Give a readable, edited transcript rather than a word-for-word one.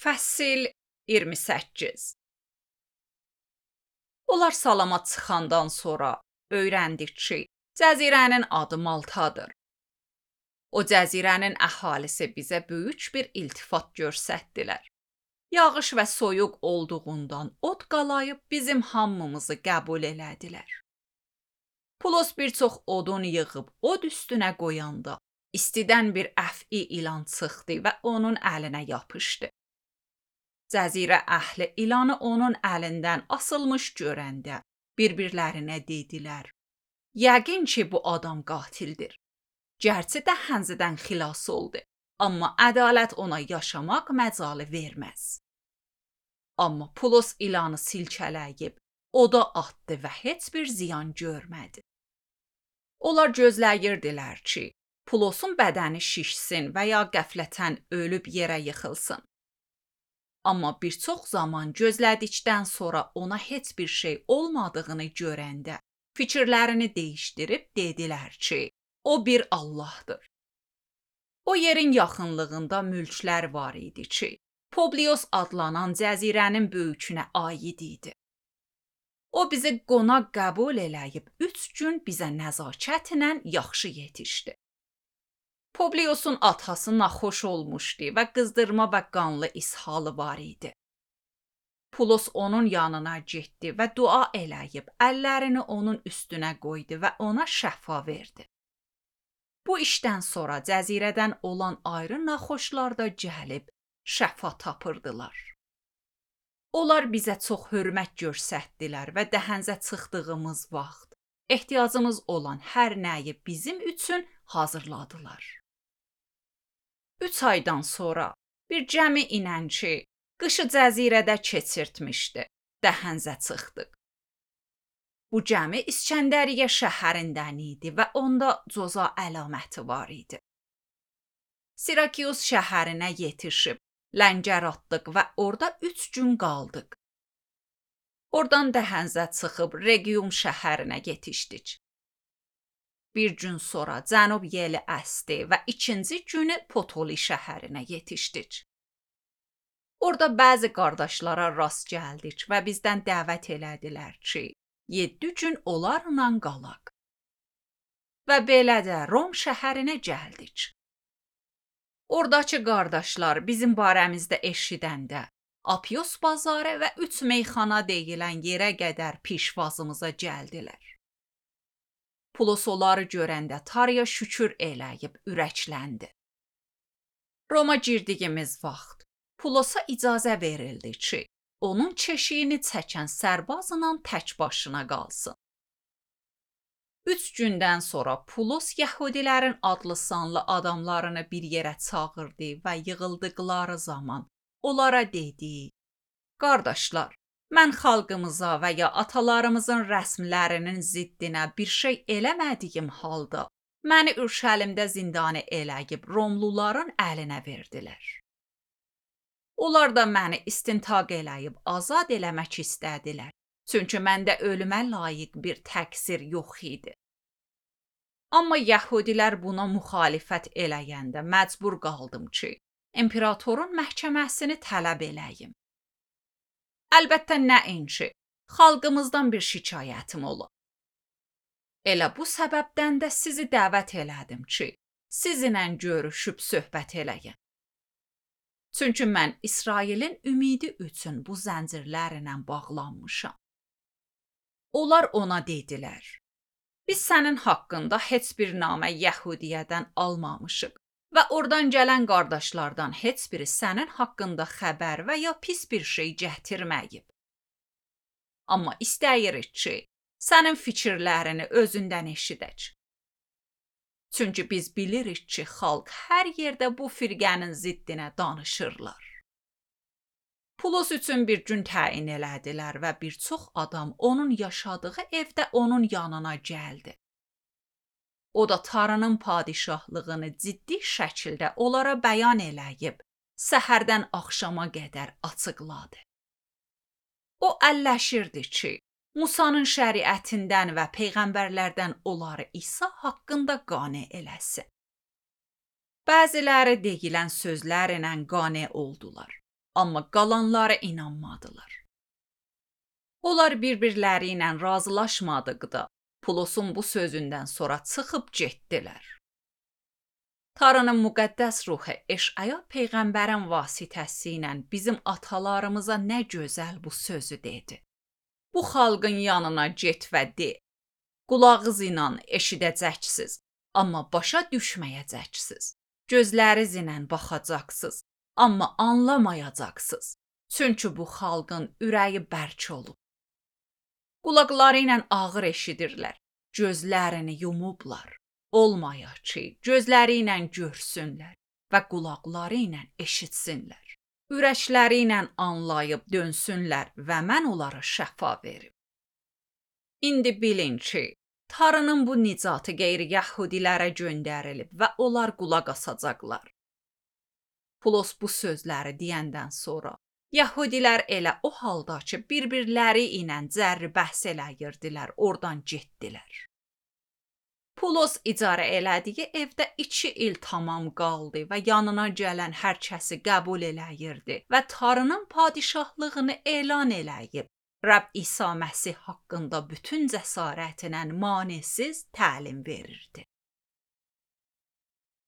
Fəsil 28. Onlar salama çıxandan sonra öyrəndik ki, cəzirənin adı Maltadır. O cəzirənin əhalisi bizə böyük bir iltifat göstərdilər. Yağış və soyuq olduğundan od qalayıb bizim hamımızı qəbul elədilər. Pulos bir çox odun yığıb od üstünə qoyanda istidən bir əf'i ilan çıxdı və onun əlinə yapışdı. Cəzirə əhli ilanı onun əlindən asılmış görəndə bir-birlərinə dedilər: "Yəqin ki, bu adam qatildir. Gərçi də hənzədən xilas oldu, amma ədalət ona yaşamaq məcalı verməz." Amma Pulos ilanı silkələyib oda atdı və heç bir ziyan görmədi. Onlar gözləyirdilər ki, Pulosun bədəni şişsin və ya qəflətən ölüb yerə yıxılsın. Amma bir çox zaman gözlədikdən sonra ona heç bir şey olmadığını görəndə fikirlərini dəyişdirib dedilər ki, o bir Allahdır. O yerin yaxınlığında mülklər var idi ki, Publios adlanan cəzirənin böyükünə aid idi. O bizi qonaq qəbul eləyib 3 gün bizə nəzakətlə yaxşı yetişdi. Publiosun atası naxoş olmuşdu və qızdırma və qanlı ishalı var idi. Pulos onun yanına getdi və dua eləyib əllərini onun üstünə qoydu və ona şəfa verdi. Bu işdən sonra cəzirədən olan ayrı naxoşlar da gəlib şəfa tapırdılar. Onlar bizə çox hörmət göstərdilər və dəhənzə çıxdığımız vaxt ehtiyacımız olan hər nəyi bizim üçün hazırladılar. 3 aydan sonra bir gəmi inənçi qışı cəzirədə keçirtmişdi. Dəhənzə çıxdıq. Bu gəmi İskəndəriyyə şəhərindən idi və onda coza əlaməti var idi. Sirakius şəhərinə yetişib ləngər atdıq və orada 3 gün qaldıq. Oradan dəhənzə çıxıb Regium şəhərinə yetişdik. Bir gün sonra cənub yeli əsdi və ikinci günü Potoli şəhərinə yetişdik. Orada bəzi qardaşlara rast gəldik və bizdən dəvət elədilər ki, 7 gün onlarla qalaq. Və belə də Rom şəhərinə gəldik. Oradakı qardaşlar bizim barəmizdə eşidəndə Apios bazarı və 3 meyxana deyilən yerə qədər pişvazımıza gəldilər. Pulos onları görəndə Tanrıya şükür eləyib ürəkləndi. Roma girdiyimiz vaxt Pulosa icazə verildi ki, onun keşiyini çəkən sərbazla tək başına qalsın. 3 gündən sonra Pulos Yəhudilərin adlı sanlı adamlarını bir yerə çağırdı və yığıldıqları zaman onlara dedi: "Qardaşlar, mən xalqımıza və ya atalarımızın rəsmlərinin ziddinə bir şey eləmədiyim halda məni Ürşəlimdə zindanə eləyib Romluların əlinə verdilər. Onlar da məni istintaq eləyib azad eləmək istədilər, çünki məndə ölümə layiq bir təqsir yox idi. Amma Yəhudilər buna müxalifət eləyəndə məcbur qaldım ki, imperatorun məhkəməsini tələb eləyim. Əlbəttə nəinki, xalqımızdan bir şikayətim olub. Elə bu səbəbdən də sizi dəvət elədim ki, sizinlə görüşüb söhbət eləyim. Çünki mən İsrailin ümidi üçün bu zəncirlərlə bağlanmışam." Onlar ona dedilər: "Biz sənin haqqında heç bir namə Yəhudiyədən almamışıq və oradan gələn qardaşlardan heç biri sənin haqqında xəbər və ya pis bir şey gətirməyib. Amma istəyirik ki, sənin fikirlərini özündən eşidək. Çünki biz bilirik ki, xalq hər yerdə bu firqənin ziddinə danışırlar." Pulos üçün bir gün təyin elədilər və bir çox adam onun yaşadığı evdə onun yanına gəldi. O da Tanrının padişahlığını ciddi şəkildə onlara bəyan eləyib, səhərdən axşama qədər açıqladı. O əlləşirdi ki, Musanın şəriətindən və peyğəmbərlərdən onları İsa haqqında qane eləsin. Bəziləri deyilən sözlərlə qane oldular. amma qalanları inanmadılar. Onlar bir-birləri ilə razılaşmadıqda Pulosun bu sözündən sonra çıxıb getdilər. Tanrının müqəddəs ruhu Eşaya peyğəmbərin vasitəsilə bizim atalarımıza nə gözəl bu sözü dedi. Bu xalqın yanına get və de, qulağınız ilə eşidəcəksiniz, amma başa düşməyəcəksiniz. Gözləriniz ilə baxacaqsınız, amma anlamayacaqsınız. Çünki bu xalqın ürəyi bərk olub. Qulaqları ilə ağır eşidirlər, gözlərini yumublar. Olmayaq ki, gözləri ilə görsünlər və qulaqları ilə eşitsinlər. Ürəkləri ilə anlayıb dönsünlər və mən onlara şəfa verim. İndi bilin ki, Tanrının bu nicatı qeyri-yəhudilərə göndərilib və onlar qulaq asacaqlar. Pulos bu sözləri deyəndən sonra Yəhudilər elə o halda ki, bir-birləri ilə cərri bəhs eləyirdilər, oradan getdilər. Pulos icarə elədiyi evdə 2 il tamam qaldı və yanına gələn hər kəsi qəbul eləyirdi və Tanrının padişahlığını elan eləyib, Rəbb İsa Məsih haqqında bütün cəsarətlə manesiz təlim verirdi.